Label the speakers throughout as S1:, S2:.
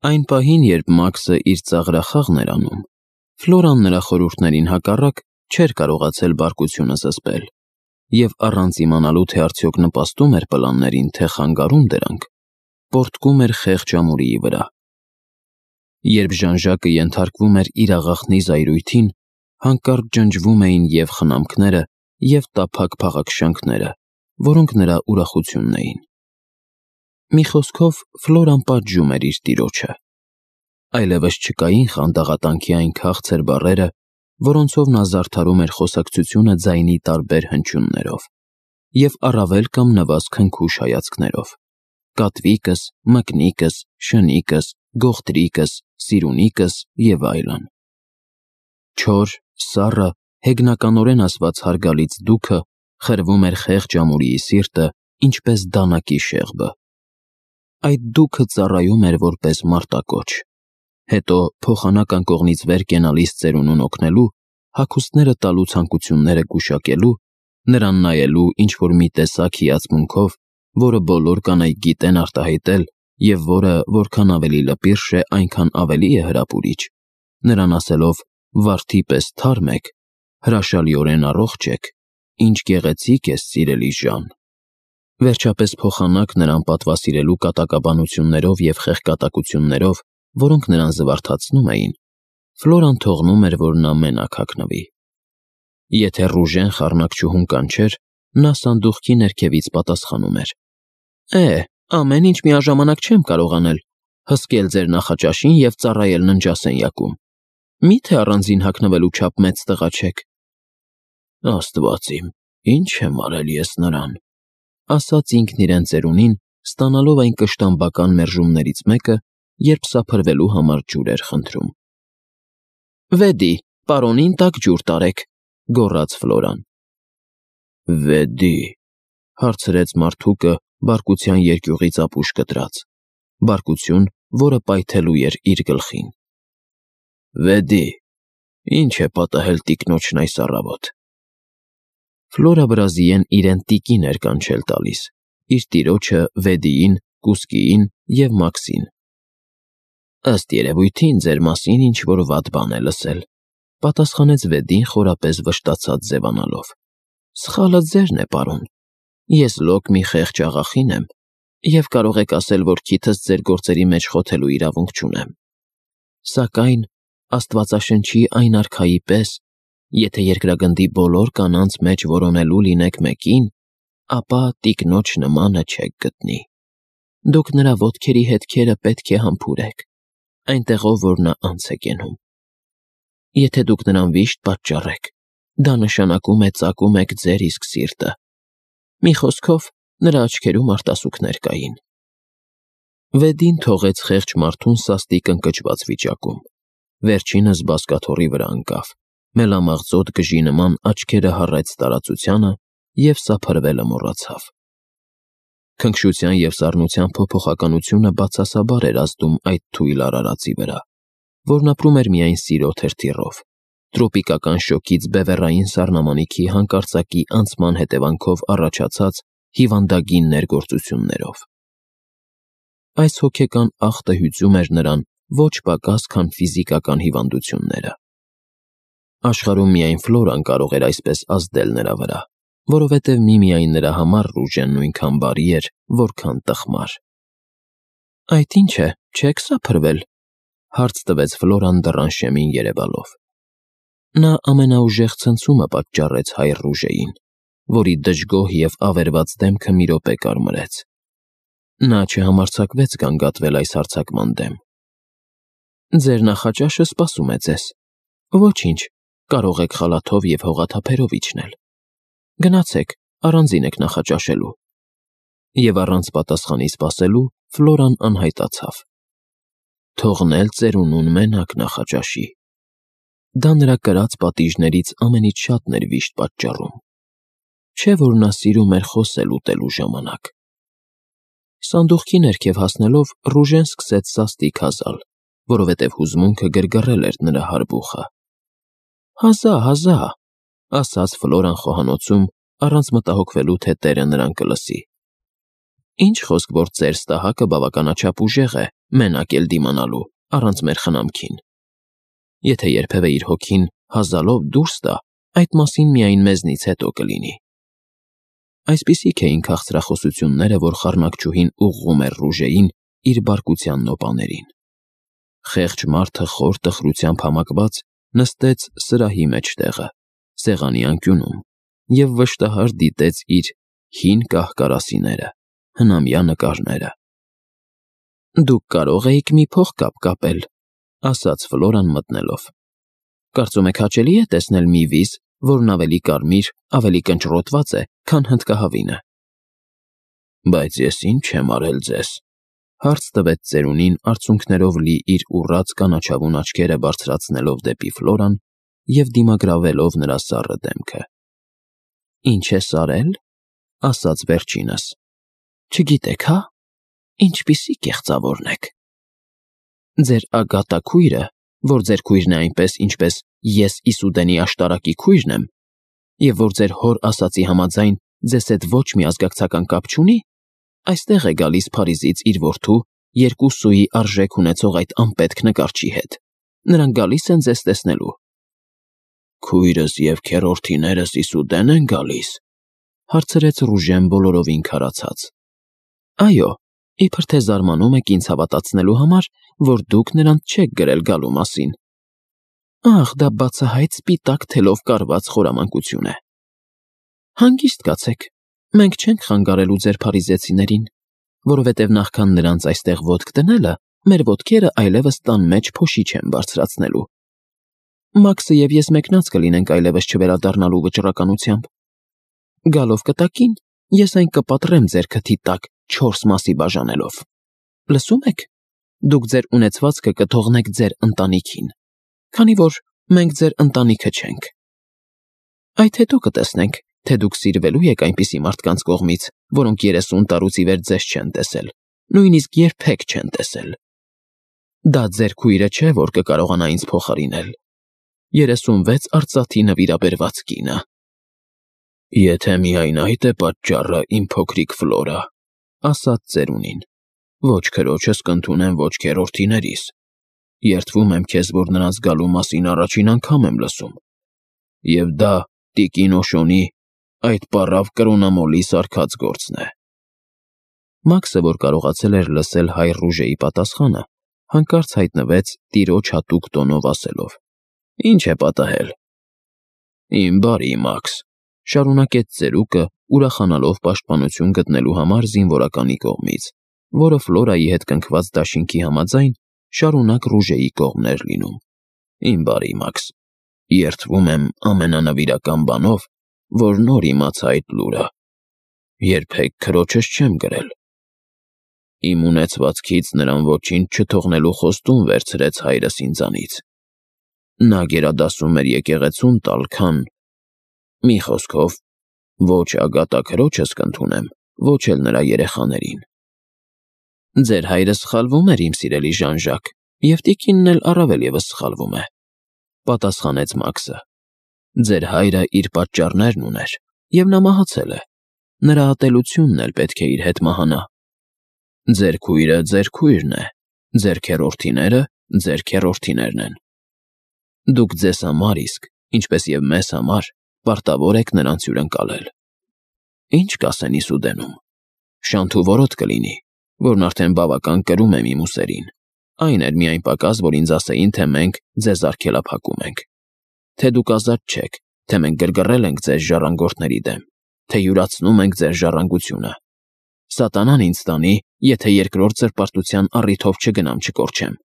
S1: Այն պահին, երբ Մաքսը իր ծաղրախաղն էր անում, Ֆլորան նրա խորհուրդներին հակառակ չէր կարողացել բարկությունը զսպել և առանց իմանալու, թե արդյոք նպաստում էր պլաններին, թե խանգարում դրանք, պոռթկում էր խեղճ ամուրիի վրա։ Երբ Ժան-Ժակը ենթարկվում էր իր աղախնի զայրույթին, հանկարծ ջնջվում էին և խնամքները, և տափակ փաղաքշանքները, որոնք նրա ուրախությունն էին։ Մի խոսքով, Ֆլորան պատժում էր իր տիրոջը։ Այլևս չկային խանդաղատանքի այն քաղցր բառերը, որոնցով նա զարդարում էր խոսակցությունը ձայնի տարբեր հնչյուններով, և առավել կամ նվազ քնքուշ հայացքներով. կատվիկս, մկնիկս, շնիկս, գողտրիկս, սիրունիկս և այլն։ Չոր, սառը, հեգնականորեն ասված հարգալից դուքը խրվում էր խեղճ ամուրիի սիրտը, ինչպես դանակի շեղբը։ Այդ դուքը ծառայում էր որպես մարտակոչ, հետո փոխանակ անկողնից վեր կենալիս ծերունուն օգնելու, հագուստները տալու ցանկությունները գուշակելու, նրան նայելու ինչ-որ մի տեսակ հիացմունքով, որը բոլոր կանայք գիտեն արտահայտել և որը որքան ավելի լպիրշ է, այնքան ավելի է հրապուրիչ, նրան ասելով «Վարդի պես թարմ եք, հրաշալիորեն առողջ եք, ինչ գեղեցիկ ես, սիրելի Ժան»։ Վերջապես փոխանակ նրան պատվասիրելու կատակաբանություններով և խեղկատակություններով, որոնք նրան զվարթացնում էին, Ֆլորան թողնում էր, որ նա մենակ հագնվի։ Եթե Ռուժեն խառնակչուհուն կանչեր, նա սանդուղքի ներքևից պատասխանում էր. ամեն ինչ միաժամանակ չեմ կարող անել, հսկել ձեր նախաճաշին և ծառայել ննջասենյակում։ Մի՞թե առանձին հագնվելու չափ մեծ տղա չեք։ Աստված իմ, ինչ եմ արել ես նրան, ասաց ինքն իրեն ծերունին, ստանալով այն կշտամբական մերժումներից մեկը, երբ սափրվելու համար ջուր էր խնդրում։ Վեդի, պարոնին տաք ջուր տարեք, գոռաց Ֆլորան։ Վեդի, հարցրեց մարդուկը բարկության երկյուղից ապուշ կտրած, բարկություն, որը պայթելու էր իր գլխին։ Վեդի, ինչ է պատահել տիկնոջն այս առավոտ։ Ֆլորա Բրազիեն իրեն տիկին էր կանչել տալիս, իր տիրոջը Վեդիին, Կուսկիին և Մաքսին։ Ըստ երևույթին ձեր մասին ինչ-որ վատ բան է լսել, պատասխանեց Վեդին խորապես վշտացած ձևանալով։ Սխալը ձերն է, պարոն։ Ես լոկ մի խեղճ աղախին եմ, և կարող եք ասել, որ քիթս ձեր գործերի մեջ խոթելու իրավունք չունեմ։ Սակայն, Աստվածաշնչի այն արքայի պես, եթե երկրագնդի բոլոր կանանց մեջ որոնելու լինեք մեկին, ապա տիկնոջ նմանը չեք գտնի։ Դուք նրա ոտքերի հետքերը պետք է համբուրեք, այնտեղով, որ նա անց է կենում։ Եթե դուք նրան վիշտ պատճառեք, դա նշանակում է ծակում եք ձեր իսկ սիրտը։ Մի խոսքով, նրա աչքերում արտասուքներ կային։ Վեդին թողեց խեղճ մարդուն սաստիկ ընկճված վիճակում։ Վերջինս բազկաթոռի վրա ընկավ, մելամաղձոտ գժի նման աչքերը հառեց տարածությանը և սափրվելը մոռացավ։ Քնքշության և սառնության փոփոխականությունը բացասաբար էր ազդում այդ թույլ արարածի վրա, որն ապրում էր միայն սիրո թրթիռով, տրոպիկական շոգից բևեռային սառնամանիքի հանկարծակի անցման հետևանքով առաջացած հիվանդագին ներգործություններով։ Այս հոգեկան ախտը հյուծում էր նրան ոչ պակաս, քան ֆիզիկական հիվանդությունները։ Աշխարհում միայն Ֆլորան կարող էր այսպես ազդել նրա վրա, որովհետև միմիայն նրա համար Ռուժեն նույնքան բարի էր, որքան տխմար։ Այդ ինչ է, չեք սափրվել, հարց տվեց Ֆլորան դռան շեմին երևալով։ Նա ամենաուժեղ ցնցումը պատճառեց հայր Ռուժեին, որի դժգոհ և ավերված դեմքը մի րոպե կարմրեց։ Նա չհամարձակվեց գանգատվել այս հարձակման դեմ։ Ձեր նախաճաշը սպասում է ձեզ։ Ոչինչ, կարող եք խալաթով և հողաթափերով իջնել։ Գնացեք, առանձին եք նախաճաշելու։ Եվ առանց պատասխանի սպասելու Ֆլորան անհայտացավ։ Թողնել ծերունուն մենակ նախաճաշի։ Դա նրա կրած պատիժներից ամենից շատն էր վիշտ պատճառում։ Չէ՞ որ նա սիրում էր խոսել ուտելու ժամանակ։ Սանդուղքի ներքև հասնելով Ռուժեն սկսեց սաստիկ հազալ, որովհետև հուզմունքը գրգռել էր նրա հարբուխը։ Հազա, ասաց Ֆլորան խոհանոցում, առանց մտահոգվելու, թե տերը նրան կլսի։ Ինչ խոսք, որ ծեր ստահակը բավականաչափ ուժեղ է, մենակ էլ դիմանալու, առանց մեր խնամքին։ Եթե երբևէ իր հոգին հազալով դուրս տա, այդ մասին միայն մեզնից հետո կլինի։ Այսպիսիք էին քաղցրախոսությունները, որ խառնակչուհին ուղղում էր Ռուժեին իր բարկության նոպաներին։ Խեղճ մարդը խոր տխրությամբ համակված նստեց սրահի մեջտեղը, սեղանի անկյունում, և վշտահար դիտեց իր հին կահ-կարասիները, հնամյա նկարները։ «Դուք կարող էիք մի փողկապ կապել», ասաց Ֆլորան մտնելով։ «Կարծում եք հաճելի է տեսնել մի վիզ, որն ավելի կարմիր, ավելի կնճռոտված է, քան հնդկահավինը»։ «Բայց ես ինչ եմ արել ձեզ», հարց տվեց ծերունին արցունքներով լի իր ուռած կանաչավուն աչքերը բարձրացնելով դեպի Ֆլորան և դիմագրավելով նրա սառը դեմքը։ «Ինչ ես արել», ասաց վերջինս։ «Չգիտեք, հա՞, ինչպիսի կեղծավորն եք։ Ձեր ագատաքույրը, որ ձեր քույրն է այնպես, ինչպես ես Իսուդենի աշտարակի քույրն եմ, և որ ձեր հոր ասածի համաձայն ձեզ հետ ոչ մի ազգակցական կապ չունի, այստեղ է գալիս Փարիզից իր որդու 2 սուի արժեք ունեցող այդ անպետք նկարչի հետ։ Նրանք գալիս են ձեզ տեսնելու»։ «Քույրս և քեռորդիներս Իսուդեն են գալիս», հարցրեց Ռուժեն բոլորովին քարացած։ «Այո, իբր թե զարմանում եք ինձ հավատացնելու համար, որ դուք նրանց չեք գրել գալու մասին։ Ահ, դա բացահայտ սպիտակ թելով կարված խորամանկություն է։ Հանգիստ կացեք, մենք չենք խանգարելու ձեր փարիզեցիներին, որովհետև նախքան նրանց այստեղ ոտք դնելը, մեր ոտքերը այլևս տան մեջ փոշի չեն բարձրացնելու։ Մաքսը և ես մեկնած կլինենք այլևս չվերադառնալու վճռականությամբ։ Գալով կտակին, ես այն կպատրեմ ձեր քթի տակ 4 մասի բաժանելով։ Լսում եք, դուք ձեր ունեցվածքը կթողնեք ձեր ընտանիքին, քանի որ մենք ձեր ընտանիքը չենք։ Այդ հետո կտեսնենք, թե դուք սիրվելու եք այնպիսի մարդկանց կողմից, որոնք 30 տարուց ի վեր ձեզ չեն տեսել, նույնիսկ երբեք չեն տեսել։ Դա ձեր քույրը չէ, որ կկարողանա ինձ փոխարինել։ 36 արծաթի նվիրաբերված կինը։ Եթե միայն այդ է պատճառը, իմ փոքրիկ Ֆլորա, ասաց ծերունին, ոչ քրոջս կընդունեմ, ոչ քեռորդիներիս։ Երդվում եմ քեզ, որ նրանց գալու մասին առաջին անգամ եմ լսում։ Եվ դա տիկին Օշոնի, այդ պառավ կրոնամոլի սարքած գործն է։ Մաքսը, որ կարողացել էր լսել հայր Ռուժեի պատասխանը, հանկարծ հայտնվեց տիրոջ հատուկ տոնով ասելով. «Ինչ է պատահել»։ «Իմ բարի Մաքս», շարունակեց ծերուկը, ուրախանալով պաշտպանություն գտնելու համար զինվորականի կողմից, որը Ֆլորայի հետ կնքված դաշինքի համաձայն շարունակ Ռուժեի կողմն էր լինում։ «Իմ բարի Մաքս, երդվում եմ ամենանվիրական բանով, որ նոր իմացա այդ լուրը։ Երբեք քրոջս չեմ գրել։ Իմ ունեցվածքից նրան ոչինչ չթողնելու խոստում վերցրեց հայրս ինձանից։ Նա գերադասում էր եկեղեցուն տալ, քան… Մի խոսքով, ոչ ագատա քրոջս կընդունեմ, ոչ էլ նրա երեխաներին»։ «Ձեր հայրը սխալվում էր, իմ սիրելի Ժան-Ժակ, և տիկինն էլ առավել ևս սխալվում է», պատասխանեց Մաքսը։ «Ձեր հայրը իր պատճառներն ուներ, և նա մահացել է։ Նրա ատելությունն էլ պետք է իր հետ մահանա։ Ձեր քույրը ձեր քույրն է, ձեր քեռորդիները ձեր քեռորդիներն են։ Դուք ձեզ համար իսկ, ինչպես և մեզ համար, պարտավոր եք նրանց հյուրընկալել։ Ինչ կասեն Իսուդենում։ Շանթուվորոտ կլինի, որն արդեն բավական կրում եմ իմ ուսերին։ Այն էր միայն պակաս, որ ինձ ասեին, թե մենք ձեզ արգելափակում ենք, թե դուք ազատ չեք, թե մենք գրգռել ենք ձեզ ժառանգորդների դեմ, թե յուրացնում ենք ձեր ժառանգությունը։ Սատանան ինձ տանի, եթե երկրորդ զրպարտության առիթով չգնամ չկորչեմ։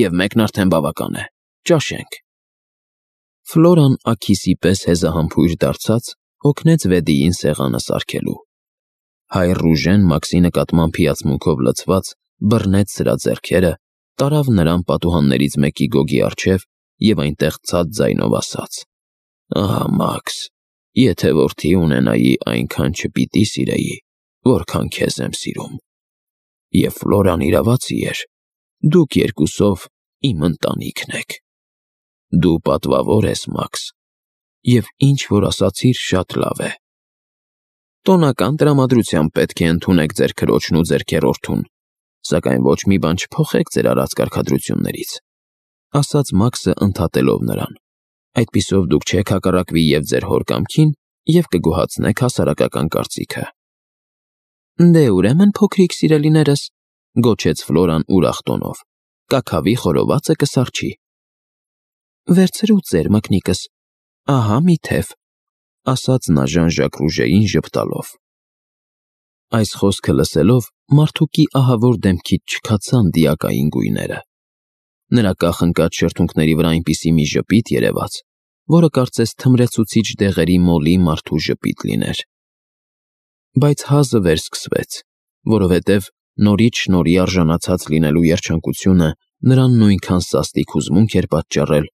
S1: Եվ մեկն արդեն բավական է, ճաշենք»։ Ֆլորան աքիսի պես հեզահամբույր դարձած օգնեց Վեդիին սեղանը սարքելու։ Հայր Ռուժեն Մաքսի նկատմամբ հիացմունքով լցված բռնեց սրա ձեռքերը, տարավ նրան պատուհաններից մեկի գոգի առջև և այնտեղ ցած ձայնով ասաց. «Ահա Մաքս, եթե որդի ունենայի, այնքան չպիտի սիրեի, որքան քեզ եմ սիրում։ Եվ Ֆլորան իրավացի էր, դուք երկուսով իմ ընտանիքն եք։ Դու պատվավոր ես, Մաքս, և ինչ որ ասացիր շատ լավ է։ Տոնական տրամադրությամբ պետք է ընդունեք ձեր քրոջն ու ձեր քեռորդուն, Սակայն ոչ մի բան չփոխեք ձեր արած կարգադրություններից, ասաց Մաքսը ընդհատելով նրան։ Այդպիսով դուք չեք հակառակվի եւ ձեր հոր կամքին եւ կգոհացնեք հասարակական կարծիքը։ Դե ուրեմն փոքրիկ սիրելիներս, գոչեց Ֆլորան ուրախ տոնով, կաքավի խորովածը կսարչի։ Վերցրու ձեր մկնիկս, ահա մի թև, ասաց նա Ժան-Ժակ Ռուժեին ժպտալով։ Այս խոսքը լսելով մարդուկի ահավոր դեմքից չքացան դիակային գույները։ Նրա կախնկած շրթունքների վրա այնպիսի մի ժպիտ երևաց, որը կարծես թմրեցուցիչ դեղերի մոլի մարդու ժպիտ լիներ։ Բայց հազը վերսկսվեց, որովհետև նորից շնորհի արժանացած լինելու երջանկությունը նրան նույնքան սաստիկ հուզմունք էր պատճառել,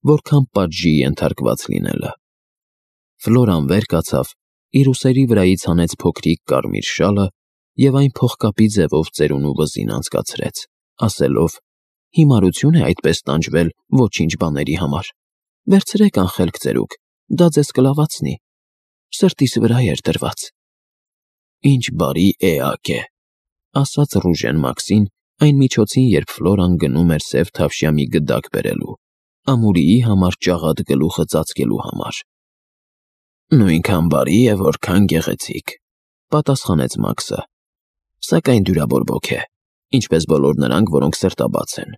S1: որքան պատժի ենթարկված լինելը։ Ֆլորան վեր կացավ, իր ուսերի վրայից հանեց փոքրիկ կարմիր շալը և այն փողկապի ձևով ծերունու վզին անցկացրեց, ասելով. Հիմարություն է այդպես տանջվել ոչինչ բաների համար։ Վերցրեք անխելք ծերուկ, դա ձեզ կլավացնի։ Սրտիս վրա էր դրված։ Ինչ բարի էակ է, ասաց Ռուժեն Մաքսին այն միջոցին, երբ Ֆլորան գնում էր սև թավշյա մի գդակ բերելու, ամուրիի համար ճաղատ գլուխը ծածկելու համար։ Նույնքան բարի է, որքան գեղեցիկ, պատասխանեց Մաքսը, սակայն դյուրաբորբոք է, ինչպես բոլոր նրանք, որոնք սրտաբաց են։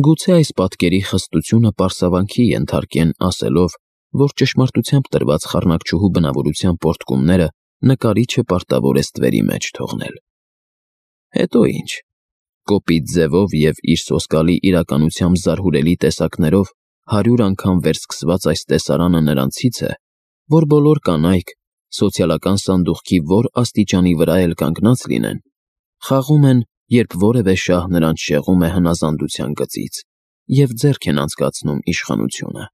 S1: Գուցե այս պատկերի խստությունը պարսավանքի ենթարկեն ասելով, որ ճշմարտությամբ տրված խառնակչուհու բնավորության պորտկումները նկարիչը պարտավոր է ստվերի մեջ թողնել։ Հետո ինչ, կոպիտ ձևով և իր սոսկալի իրականությամբ զարհուրելի տեսակներով 100 անգամ վերսկսված այս տեսարանը նրանցից է, որ բոլոր կանայք, սոցիալական սանդուղքի որ աստիճանի վրա էլ կանգնած լինեն, խաղում են, երբ որևէ շահ նրանց շեղում է հնազանդության գծից և ձեռք են անցկացնում իշխանությունը։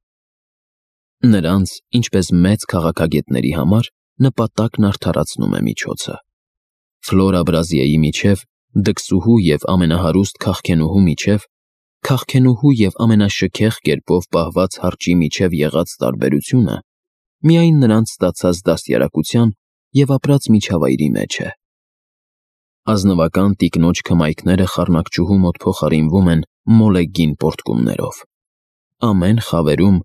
S1: Նրանց, ինչպես մեծ քաղաքագետների համար, նպատակն արդարացնում է միջոցը։ Ֆլորա Բրազիեի միջև, դքսուհու և ամենահարուստ քաղքենուհու միջև, քաղքենուհու և ամենաշքեղ կերպով պահված հարճի միջև եղած տարբերությունը միայն նրանց ստացած դաստիարակության և ապրած միջավայրի մեջ է։ Ազնվական տիկնոջ քմայքները խառնակչուհու մոտ փոխարինվում են մոլեգին պորտկումներով։ Ամեն խավերում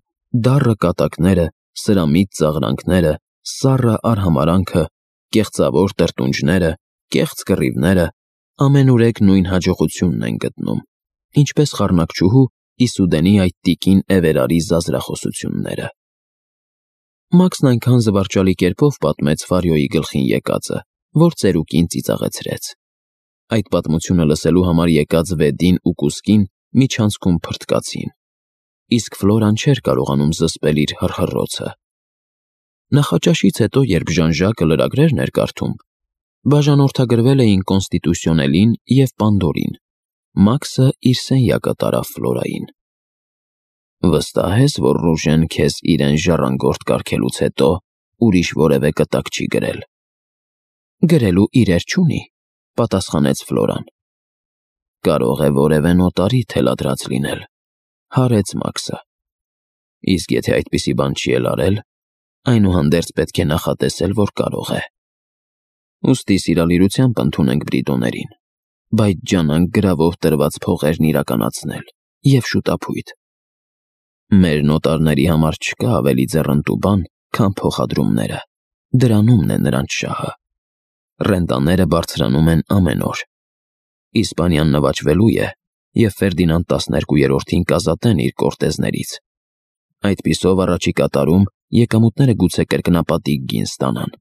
S1: դառը կատակները, սրամիտ ծաղրանքները, սառը արհամարանքը, կեղծավոր տրտունջները, կեղծ կռիվները ամենուրեք նույն հաջողությունն են գտնում, ինչպես խառնակչուհու Իսուդենի այդ տիկին Էվերարի զազրախոսությունները։ Մաքսն այնքան զվարճալի կերպով պատմեց Ֆարիոյի գլխին եկածը, որ ծերուկին ծիծաղեցրեց։ Այդ պատմությունը լսելու համար եկած Վեդին ու Կուսկին միջանցքում փրթկացին, իսկ Ֆլորան չէր կարողանում զսպել իր հռհռոցը։ Նախաճաշից հետո, երբ Ժան-Ժակը լրագրերն էր կարդում, բաժանորդագրվել էին Կոնստիտուսիոնելին և Պանդորին, Մաքսը իր սենյակը տարավ Ֆլորային։ Վստահ ես, որ Ռուժեն քեզ իրեն ժառանգորդ կարգելուց հետո ուրիշ որևէ կտակ չի գրել։ Գրելու իրեր չունի, պատասխանեց Ֆլորան։ Կարող է որևէ նոտարի թելադրած լինել, հարեց Մաքսը։ Իսկ եթե այդպիսի բան չի էլ արել, այնուհանդերձ պետք է նախատեսել, որ կարող է։ Ուստի սիրալիրությամբ ընդունենք Բրիտոներին, բայց ջանանք գրավով տրված փողերն իրականացնել և շուտափույթ։ Մեր նոտարների համար չկա ավելի ձեռնտու բան, քան փոխադրումները, դրանումն է նրանց շահը։ Ռենտաները բարձրանում են ամեն օր։ Իսպանիան նվաճվելու է, և Ֆերդինանդ 12-ին կազատեն իր կորտեզներից։ Այդպիսով առաջիկա տարում եկամուտները գուցե կրկնապատիկ գին ստանան։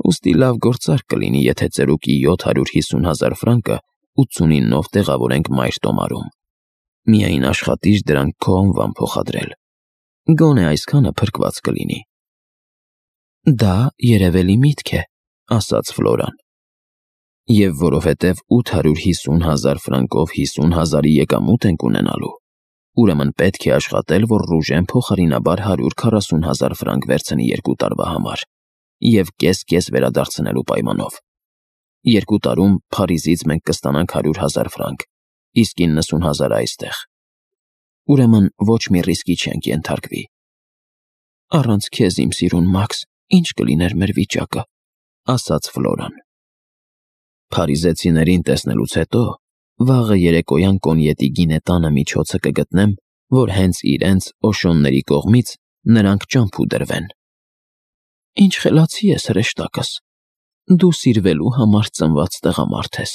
S1: Ուստի լավ գործարք կլինի, եթե ծերուկի 750,000 ֆրանկը 89-ով տեղավորենք Մայր տոմարում։ Միայն աշխատիր դրանք քո անվան փոխադրել։ Գոնե այսքանը փրկված կլինի։ Դա երևելի միտք է, ասաց Ֆլորան։ Եվ որովհետև 850,000 ֆրանկով 50,000-ի եկամուտ ենք ունենալու, ուրեմն պետք է աշխատել, որ Ռուժեն փոխարինաբար 140,000 ֆրանկ վերցնի 2 տարվա համար և կես-կես վերադարձնելու պայմանով։ 2 տարում Փարիզից մենք կստանանք 100,000 ֆրանկ, իսկ 90,000 այստեղ։ Ուրեմն ոչ մի ռիսկի չենք ենթարկվի։ Առանց քեզ, իմ սիրուն Մաքս, ինչ կլիներ մեր վիճակը, ասաց Ֆլորան։ Փարիզեցիներին տեսնելուց հետո վաղը երեկոյան կոնյետի գինետանը միջոցը կգտնեմ, որ հենց իրենց Օշոնների կողմից նրանք ճամփու դրվեն։ Ինչ խելացի ես, հրեշտակս, դու սիրվելու համար ծնված տղամարդ ես։